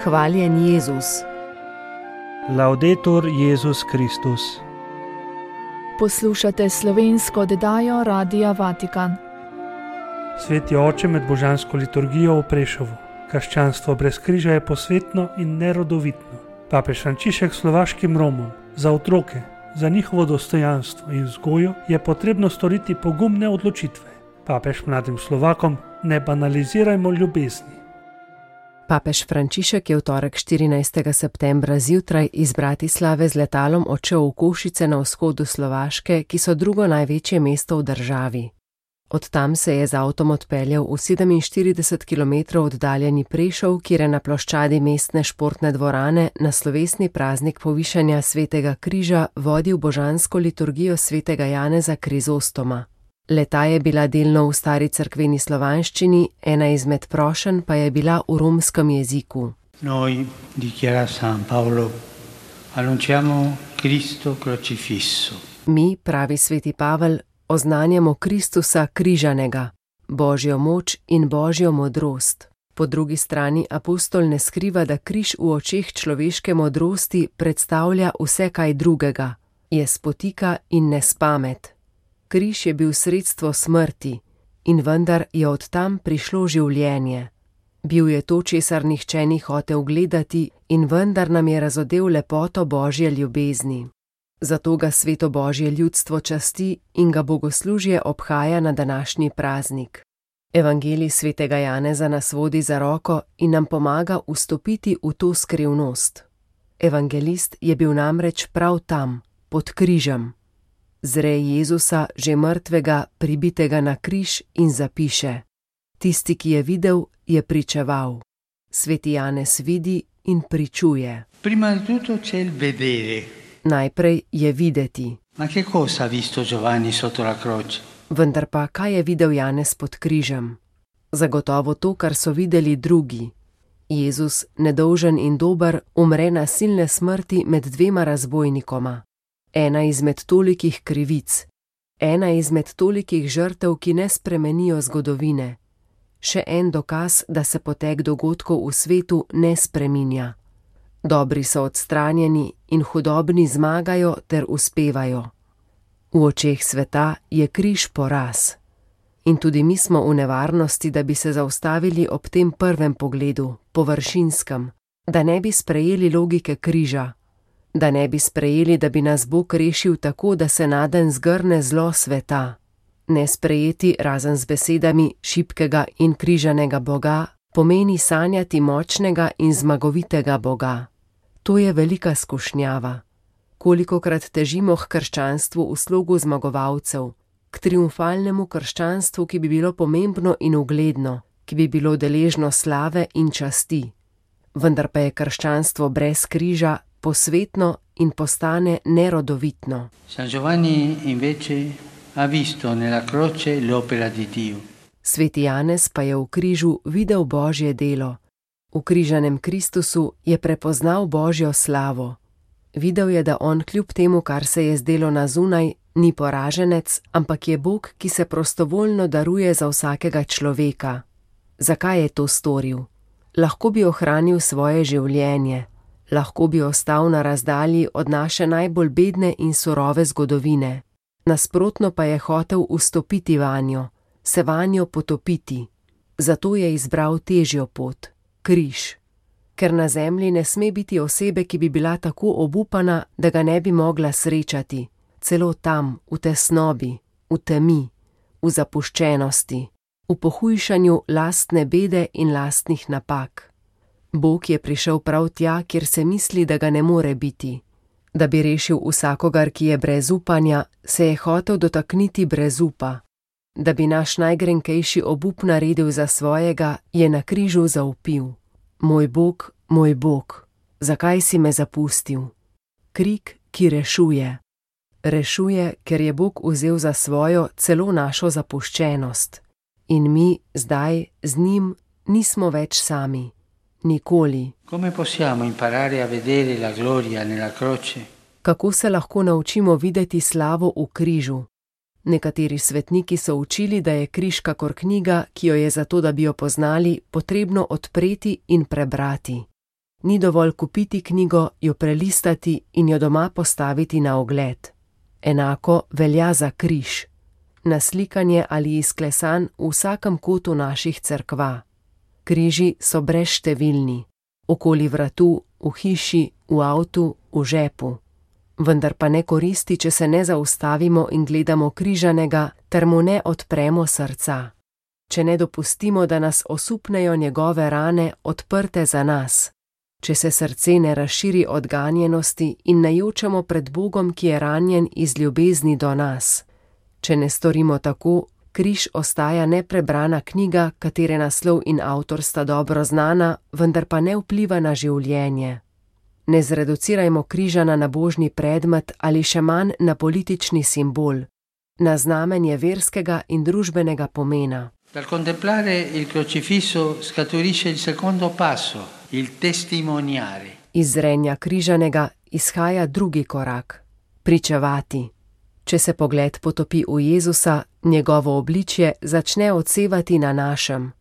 Hvaljen Jezus. Laudetur Jezus Kristus. Poslušate slovensko oddajo Radia Vatikan. Sveti oče med božansko liturgijo v Prešovu. Krščanstvo brez križa je posvetno in nerodovitno. Papež Frančišek slovaškim Romom za otroke, za njihovo dostojanstvo in vzgojo je potrebno storiti pogumne odločitve. Papež mladim Slovakom: ne banalizirajmo ljubezni. Papež Frančišek je v torek 14. septembra zjutraj iz Bratislave z letalom odšel v Košice na vzhodu Slovaške, ki so drugo največje mesto v državi. Od tam se je z avtom odpeljal v 47 km oddaljeni Prešov, kjer je na ploščadi mestne športne dvorane na slovesni praznik povišanja Svetega križa vodil božansko liturgijo Svetega Janeza Krizostoma. Leta je bila delno v stari cerkveni slovanščini, ena izmed prošenj pa je bila v romskem jeziku. Noi, dichiara San Paolo, annunciamo Cristo crocifisso. Mi, pravi sveti Pavel, oznanjamo Kristusa križanega, Božjo moč in Božjo modrost. Po drugi strani apostol ne skriva, da križ v očeh človeške modrosti predstavlja vse kaj drugega, je spotika in nespamet. Križ je bil sredstvo smrti in vendar je od tam prišlo življenje. Bil je to, česar nihče ni hotel gledati in vendar nam je razodel lepoto Božje ljubezni. Zato ga sveto Božje ljudstvo časti in ga bogoslužje obhaja na današnji praznik. Evangelij svetega Janeza nas vodi za roko in nam pomaga vstopiti v to skrivnost. Evangelist je bil namreč prav tam, pod križem. Zre Jezusa, že mrtvega, pribitega na križ in zapiše: tisti, ki je videl, je pričeval. Sveti Janez vidi in pričuje. Prima di tutto c'è il vedere. Najprej je videti. Ma che cosa ha visto Giovanni sotto la croce? Vendar pa, kaj je videl Janez pod križem? Zagotovo to, kar so videli drugi. Jezus, nedolžen in dober, umre nasilne smrti med dvema razbojnikoma. Ena izmed tolikih krivic, ena izmed tolikih žrtev, ki ne spremenijo zgodovine. Še en dokaz, da se potek dogodkov v svetu ne spreminja. Dobri so odstranjeni in hudobni zmagajo ter uspevajo. V očeh sveta je križ poraz. In tudi mi smo v nevarnosti, da bi se zaustavili ob tem prvem pogledu, površinskem, da ne bi sprejeli logike križa, da ne bi sprejeli, da bi nas Bog rešil tako, da se nadenj zgrne zlo sveta. Ne sprejeti, razen z besedami šibkega in križanega Boga, pomeni sanjati močnega in zmagovitega Boga. To je velika skušnjava. Kolikokrat težimo k krščanstvu v slogu zmagovalcev, k triumfalnemu krščanstvu, ki bi bilo pomembno in ugledno, ki bi bilo deležno slave in časti. Vendar pa je krščanstvo brez križa posvetno in postane nerodovitno. San Giovanni invece ha visto nella croce l'opera di Dio. Sveti Janez pa je v križu videl Božje delo. V križanem Kristusu je prepoznal Božjo slavo. Videl je, da on kljub temu, kar se je zdelo na zunaj, ni poraženec, ampak je Bog, ki se prostovoljno daruje za vsakega človeka. Zakaj je to storil? Lahko bi ohranil svoje življenje. Lahko bi ostal na razdalji od naše najbolj bedne in surove zgodovine. Nasprotno pa je hotel vstopiti vanjo, se vanjo potopiti. Zato je izbral težjo pot, križ. Ker na zemlji ne sme biti osebe, ki bi bila tako obupana, da ga ne bi mogla srečati, celo tam, v tesnobi, v temi, v zapuščenosti, v pohujšanju lastne bede in lastnih napak. Bog je prišel prav tja, kjer se misli, da ga ne more biti. Da bi rešil vsakogar, ki je brez upanja, se je hotel dotakniti brez upa. Da bi naš najgrenkejši obup naredil za svojega, je na križu zavpil: moj Bog, zakaj si me zapustil? Krik, ki rešuje. Rešuje, ker je Bog vzel za svojo celo našo zapuščenost. In mi zdaj z njim nismo več sami. Nikoli. Come possiamo imparare a vedere la gloria nella croce? Kako se lahko naučimo videti slavo v križu? Nekateri svetniki so učili, da je križ kakor knjiga, ki jo je zato, da bi jo poznali, potrebno odpreti in prebrati. Ni dovolj kupiti knjigo, jo prelistati in jo doma postaviti na ogled. Enako velja za križ. Naslikanje ali izklesan v vsakem kotu naših cerkva. Križi so brezštevilni. Okoli vratu, v hiši, v avtu, v žepu. Vendar pa ne koristi, če se ne zaustavimo in gledamo križanega, ter mu ne odpremo srca. Če ne dopustimo, da nas osupnejo njegove rane, odprte za nas. Če se srce ne razširi od ganjenosti in ne jočemo pred Bogom, ki je ranjen iz ljubezni do nas. Če ne storimo tako, križ ostaja neprebrana knjiga, katere naslov in avtor sta dobro znana, vendar pa ne vpliva na življenje. Ne zreducirajmo križa na nabožni predmet ali še manj na politični simbol, na znamenje verskega in družbenega pomena. Dal contemplare il crocifisso scaturisce il secondo passo, il testimoniare. Iz zrenja križanega izhaja drugi korak, pričevati. Če se pogled potopi v Jezusa, njegovo obličje začne odsevati na našem.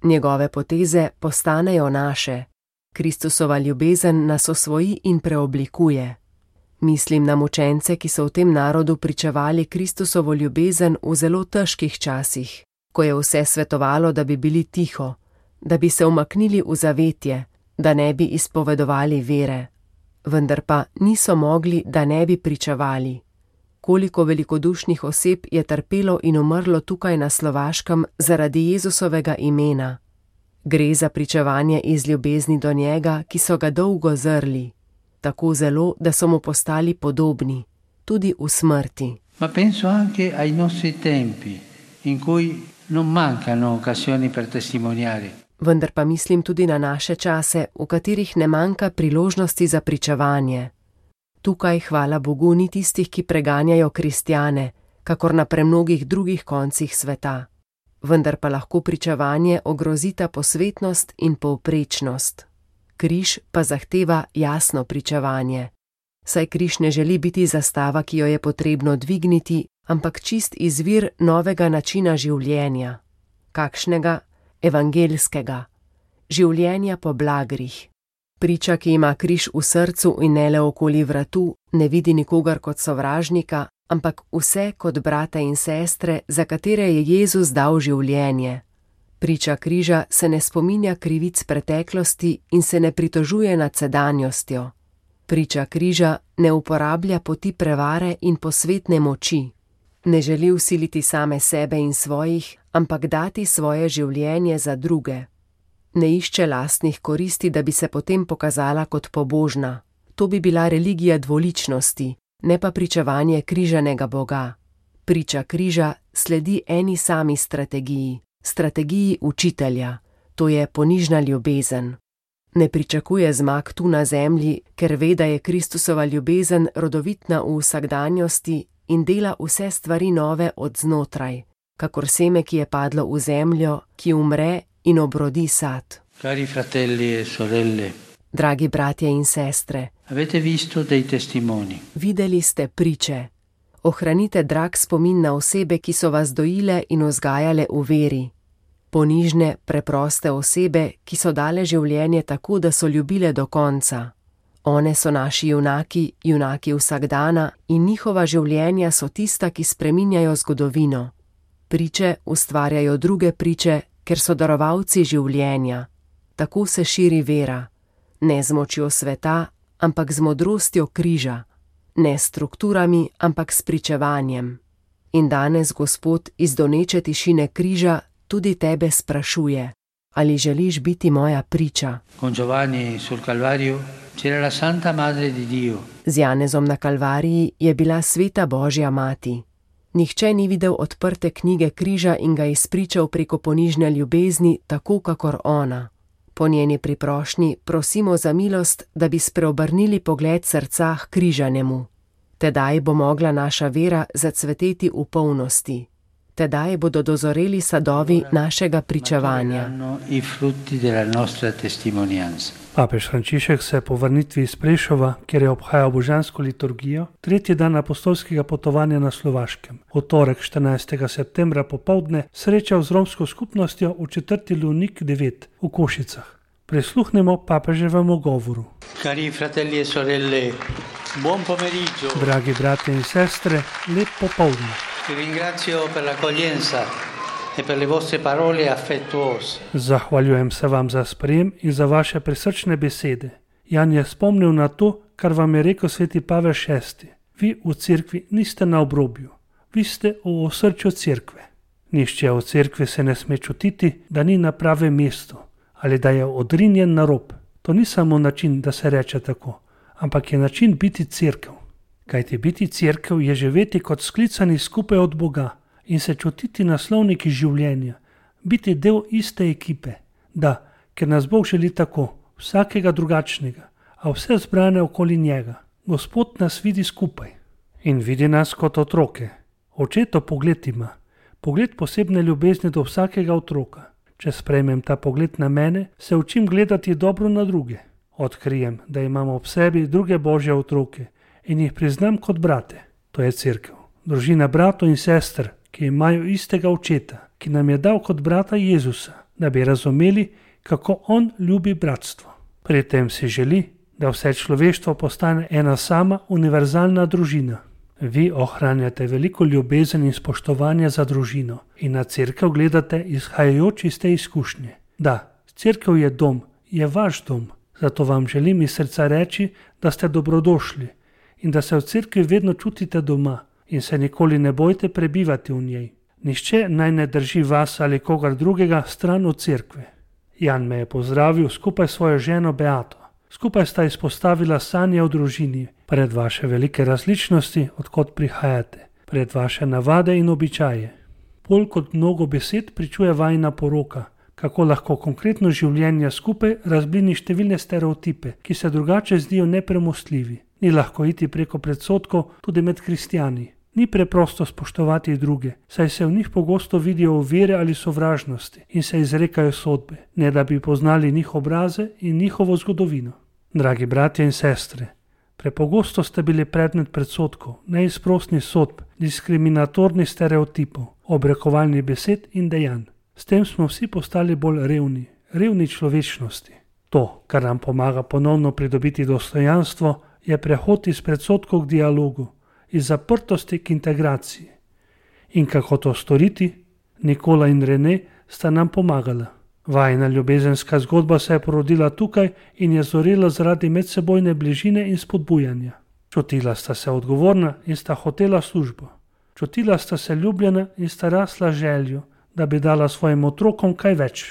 Njegove poteze postanejo naše. Kristusova ljubezen nas osvoji in preoblikuje. Mislim na mučence, ki so v tem narodu pričevali Kristusovo ljubezen v zelo težkih časih, ko je vse svetovalo, da bi bili tiho, da bi se umaknili v zavetje, da ne bi izpovedovali vere. Vendar pa niso mogli, da ne bi pričevali. Koliko velikodušnih oseb je trpelo in umrlo tukaj na Slovaškem zaradi Jezusovega imena. Gre za pričevanje iz ljubezni do njega, ki so ga dolgo zrli, tako zelo, da so mu postali podobni, tudi v smrti. Ma penso anche ai nostri tempi, in cui non mancano occasioni per testimoniare. Vendar pa mislim tudi na naše čase, v katerih ne manjka priložnosti za pričevanje. Tukaj, hvala Bogu, ni tistih, ki preganjajo kristjane, kakor na premnogih drugih koncih sveta. Vendar pa lahko pričevanje ogrozita posvetnost in povprečnost. Križ pa zahteva jasno pričevanje. Saj križ ne želi biti zastava, ki jo je potrebno dvigniti, ampak čist izvir novega načina življenja. Kakšnega? Evangelskega. Življenja po blagrih. Priča, ki ima križ v srcu in ne le okoli vratu, ne vidi nikogar kot sovražnika, ampak vse kot brate in sestre, za katere je Jezus dal življenje. Priča križa se ne spominja krivic preteklosti in se ne pritožuje nad sedanjostjo. Priča križa ne uporablja poti prevare in posvetne moči. Ne želi vsiliti same sebe in svojih, ampak dati svoje življenje za druge. Ne išče lastnih koristi, da bi se potem pokazala kot pobožna. To bi bila religija dvoličnosti, ne pa pričevanje križanega Boga. Priča križa sledi eni sami strategiji, strategiji učitelja, to je ponižna ljubezen. Ne pričakuje zmag tu na zemlji, ker ve, da je Kristusova ljubezen rodovitna v vsakdanjosti in dela vse stvari nove od znotraj, kakor seme, ki je padlo v zemljo, ki umre in obrodi sad. Cari fratelli e sorelle, dragi bratje in sestre, avete visto dei testimoni. Videli ste priče. Ohranite drag spomin na osebe, ki so vas dojile in vzgajale v veri. Ponižne, preproste osebe, ki so dale življenje tako, da so ljubile do konca. One so naši junaki, junaki vsakdana in njihova življenja so tista, ki spreminjajo zgodovino. Priče ustvarjajo druge priče, ker so darovalci življenja. Tako se širi vera. Ne z močjo sveta, ampak z modrostjo križa. Ne s strukturami, ampak s pričevanjem. In danes Gospod iz doneče tišine križa tudi tebe sprašuje, ali želiš biti moja priča. Con Giovanni sul Calvario c'era la Santa Madre di Dio. Z Janezom na Kalvariji je bila sveta Božja mati. Nihče ni videl odprte knjige križa in ga izpričal preko ponižne ljubezni, tako kakor ona. Po njeni priprošnji prosimo za milost, da bi spreobrnili pogled srca k križanemu. Tedaj bo mogla naša vera zacveteti v polnosti. Tedaj bodo dozoreli sadovi našega pričevanja. Papež Frančišek se je po vrnitvi iz Prešova, kjer je obhajal božansko liturgijo, tretji dan apostolskega potovanja na Slovaškem, v torek 14. septembra popoldne srečal z romsko skupnostjo v četrti Lunik 9 v Košicah. Prisluhnemo papeževemu govoru. Cari fratelli e sorelle, buon pomeriggio. Dragi brati in sestre, lep popoldne. Vi ringrazio per l'accoglienza e per le vostre parole affettuose. Zahvaljujem se vam za sprejem in za vaše prisrčne besede. Jan je spomnil na to, kar vam je rekel sveti Pavel VI. Vi v cerkvi niste na obrobju, vi ste v osrčju cerkve. Nihče v cerkvi se ne sme čutiti, da ni na pravem mestu ali da je odrinjen na rob. To ni samo način, da se reče tako, ampak je način biti cerkev. Kajti biti cerkev je živeti kot sklicani skupaj od Boga in se čutiti naslovniki življenja, biti del iste ekipe. Da, ker nas Bog želi tako, vsakega drugačnega, a vse zbrane okoli njega. Gospod nas vidi skupaj in vidi nas kot otroke. Očetov pogled ima, pogled posebne ljubezni do vsakega otroka. Če sprejmem ta pogled na mene, se učim gledati dobro na druge. Odkrijem, da imamo ob sebi druge božje otroke in jih priznam kot brate. To je cerkev, družina bratov in sester, ki imajo istega očeta, ki nam je dal kot brata Jezusa, da bi razumeli, kako on ljubi bratstvo. Pri tem si želi, da vse človeštvo postane ena sama univerzalna družina. Vi ohranjate veliko ljubezen in spoštovanja za družino in na cerkev gledate izhajajoč iz te izkušnje. Da, cerkev je dom, je vaš dom, zato vam želim iz srca reči, da ste dobrodošli in da se v cerkvi vedno čutite doma in se nikoli ne bojte prebivati v njej. Nihče naj ne drži vas ali kogar drugega stran od cerkve. Jan me je pozdravil skupaj s svojo ženo Beato. Skupaj sta izpostavila sanje o družini, pred vaše velike različnosti, odkot prihajate, pred vaše navade in običaje. Bolj kot mnogo besed pričuje vajina poroka, kako lahko konkretno življenje skupaj razblini številne stereotipe, ki se drugače zdijo nepremostljivi. Ni lahko iti preko predsodkov tudi med kristjani. Ni preprosto spoštovati druge, saj se v njih pogosto vidijo ovire ali sovražnosti in se izrekajo sodbe, ne da bi poznali njih obraze in njihovo zgodovino. Dragi bratje in sestre, prepogosto ste bili predmet predsodkov, neizprosnih sodb, diskriminatornih stereotipov, obrekovalnih besed in dejanj. S tem smo vsi postali bolj revni človečnosti. To, kar nam pomaga ponovno pridobiti dostojanstvo, je prehod iz predsodkov k dialogu, iz zaprtosti k integraciji. In kako to storiti? Nikola in Rene sta nam pomagala. Vajina ljubezenska zgodba se je porodila tukaj in je zorela zaradi medsebojne bližine in spodbujanja. Čutila sta se odgovorna in sta hotela službo. Čutila sta se ljubljena in sta rasla željo, da bi dala svojim otrokom kaj več.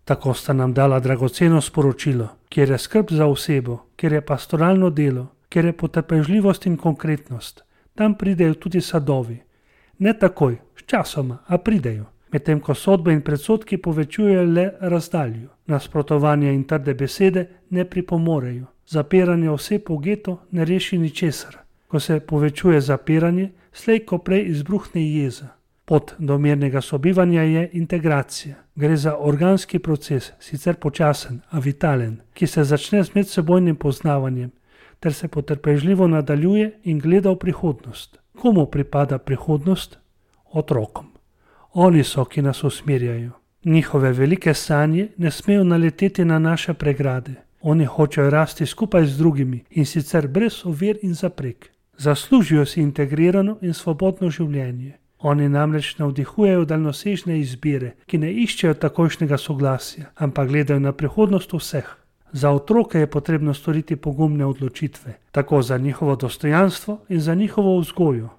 Tako sta nam dala dragoceno sporočilo, kjer je skrb za osebo, kjer je pastoralno delo, kjer je potrpežljivost in konkretnost. Tam pridejo tudi sadovi. Ne takoj, sčasoma, a pridejo. Medtem ko sodbe in predsodki povečujejo le razdaljo. Nasprotovanje in trde besede ne pripomorejo. Zapiranje oseb v geto ne reši ničesar. Ko se povečuje zapiranje, slej ko prej izbruhne jeza. Pot do mirnega sobivanja je integracija. Gre za organski proces, sicer počasen, a vitalen, ki se začne z medsebojnim poznavanjem, ter se potrpežljivo nadaljuje in gleda v prihodnost. Komu pripada prihodnost? Otrokom. Oni so, ki nas usmerjajo. Njihove velike sanje ne smejo naleteti na naše pregrade. Oni hočejo rasti skupaj z drugimi in sicer brez ovir in zaprek. Zaslužijo si integrirano in svobodno življenje. Oni namreč navdihujejo daljnosežne izbire, ki ne iščejo takojšnjega soglasja, ampak gledajo na prihodnost vseh. Za otroke je potrebno storiti pogumne odločitve, tako za njihovo dostojanstvo in za njihovo vzgojo,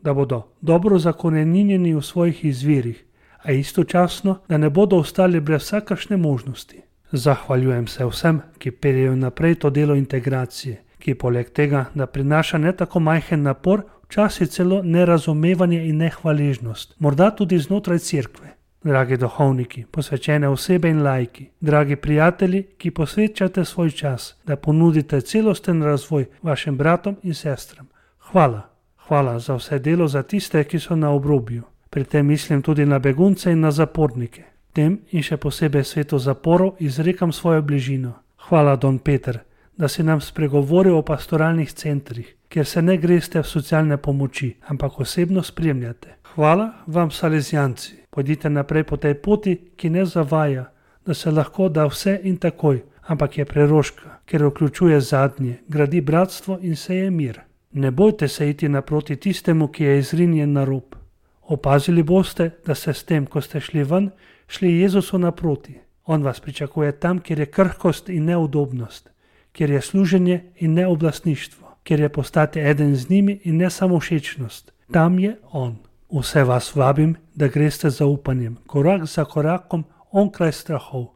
da bodo dobro zakoreninjeni v svojih izvirih, a istočasno, da ne bodo ostali brez vsakršne možnosti. Zahvaljujem se vsem, ki peljejo naprej to delo integracije, ki poleg tega, da prinaša ne tako majhen napor, včasih celo nerazumevanje in nehvaležnost, morda tudi znotraj cerkve. Dragi duhovniki, posvečene osebe in laiki, dragi prijatelji, ki posvečate svoj čas, da ponudite celosten razvoj vašim bratom in sestram. Hvala za vse delo za tiste, ki so na obrobju. Pri tem mislim tudi na begunce in na zapornike. Tem in še posebej svetu zaporov izrekam svojo bližino. Hvala, Don Peter, da si nam spregovoril o pastoralnih centrih, kjer se ne greste v socialne pomoči, ampak osebno spremljate. Hvala vam, Salezijanci. Pojdite naprej po tej poti, ki ne zavaja, da se lahko da vse in takoj, ampak je preroška, ker vključuje zadnje, gradi bratstvo in seje mir. Ne bojte se iti naproti tistemu, ki je izrinjen na rob. Opazili boste, da ste s tem, ko ste šli ven, šli Jezusu naproti. On vas pričakuje tam, kjer je krhkost in neudobnost, kjer je služenje in ne oblastništvo, kjer je postati eden z njimi in ne samo všečnost. Tam je on. Vse vas vabim, da greste z zaupanjem, korak za korakom, onkraj strahov,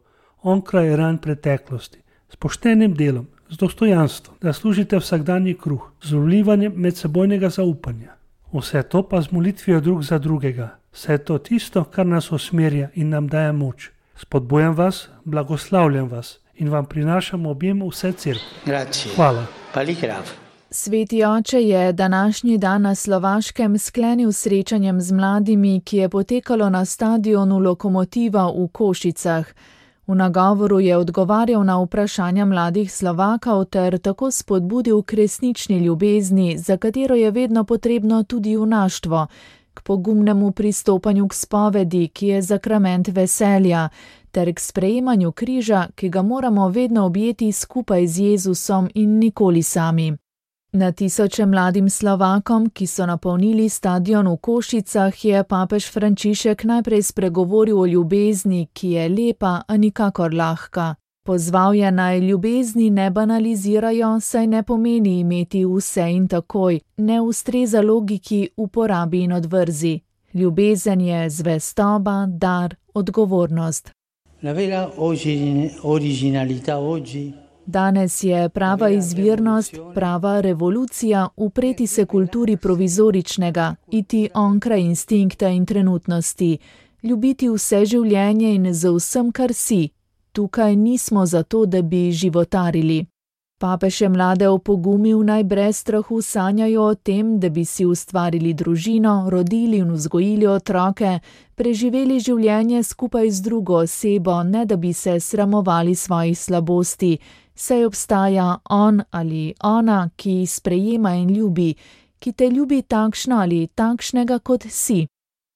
onkraj ran preteklosti, s poštenim delom, z dostojanstvom, da služite vsakdanji kruh, z vlivanjem medsebojnega zaupanja. Vse to pa z molitvijo drug za drugega. Vse je to tisto, kar nas usmerja in nam daje moč. Spodbujam vas, blagoslavljam vas in vam prinašam objem vse cerkve. Hvala. Sveti oče je današnji dan na Slovaškem sklenil srečanjem z mladimi, ki je potekalo na stadionu Lokomotiva v Košicah. V nagovoru je odgovarjal na vprašanja mladih Slovakov ter tako spodbudil k resnični ljubezni, za katero je vedno potrebno tudi junaštvo, k pogumnemu pristopanju k spovedi, ki je sakrament veselja, ter k sprejemanju križa, ki ga moramo vedno objeti skupaj z Jezusom in nikoli sami. Na tisoče mladim Slovakom, ki so napolnili stadion v Košicah, je papež Frančišek najprej spregovoril o ljubezni, ki je lepa, a nikakor lahka. Pozval je naj ljubezni ne banalizirajo, saj ne pomeni imeti vse in takoj, ne ustreza logiki uporabi in odvrzi. Ljubezen je zvestoba, dar, odgovornost. La vera originalità oggi. Danes je prava izvirnost, prava revolucija upreti se kulturi provizoričnega, iti onkraj instinkta in trenutnosti, ljubiti vse življenje in z vsem, kar si. Tukaj nismo zato, da bi životarili. Papež je mlade opogumil, naj brez strahu sanjajo o tem, da bi si ustvarili družino, rodili in vzgojili otroke, preživeli življenje skupaj z drugo osebo, ne da bi se sramovali svojih slabosti, saj obstaja on ali ona, ki sprejema in ljubi, ki te ljubi takšno ali takšnega, kot si.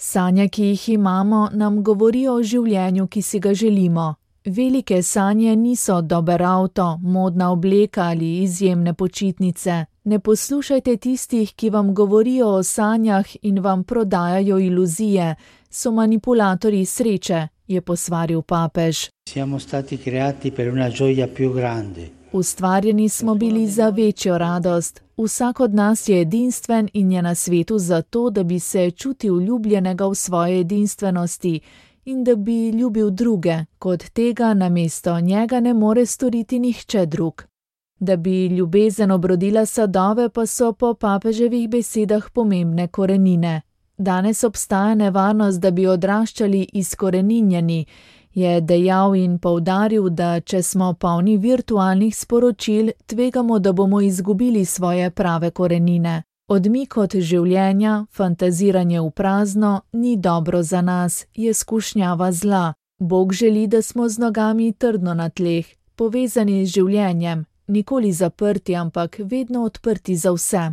Sanje, ki jih imamo, nam govorijo o življenju, ki si ga želimo. Velike sanje niso dober avto, modna obleka ali izjemne počitnice. Ne poslušajte tistih, ki vam govorijo o sanjah in vam prodajajo iluzije. So manipulatorji sreče, je posvaril papež. Ustvarjeni smo bili za večjo radost. Vsak od nas je edinstven in je na svetu zato, da bi se čutil ljubljenega v svoje edinstvenosti in da bi ljubil druge, kot tega namesto njega ne more storiti nihče drug. Da bi ljubezen obrodila sadove, pa so po papeževih besedah pomembne korenine. Danes obstaja nevarnost, da bi odraščali izkoreninjeni, je dejal in poudaril, da če smo polni virtualnih sporočil, tvegamo, da bomo izgubili svoje prave korenine. Odmik od življenja, fantaziranje v prazno, ni dobro za nas, je skušnjava zla. Bog želi, da smo z nogami trdno na tleh, povezani z življenjem, nikoli zaprti, ampak vedno odprti za vse.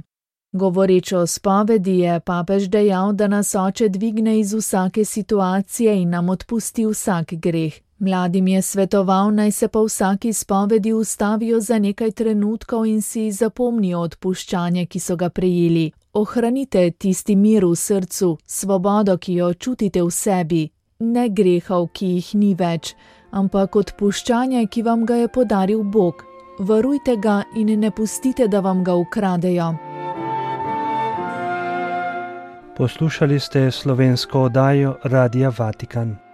Govoreč o spovedi je papež dejal, da nas oče dvigne iz vsake situacije in nam odpusti vsak greh. Mladim je svetoval, naj se po vsaki spovedi ustavijo za nekaj trenutkov in si zapomnijo odpuščanje, ki so ga prejeli. Ohranite tisti mir v srcu, svobodo, ki jo čutite v sebi, ne grehov, ki jih ni več, ampak odpuščanje, ki vam ga je podaril Bog. Varujte ga in ne pustite, da vam ga ukradejo. Poslušali ste slovensko oddajo Radia Vatikan.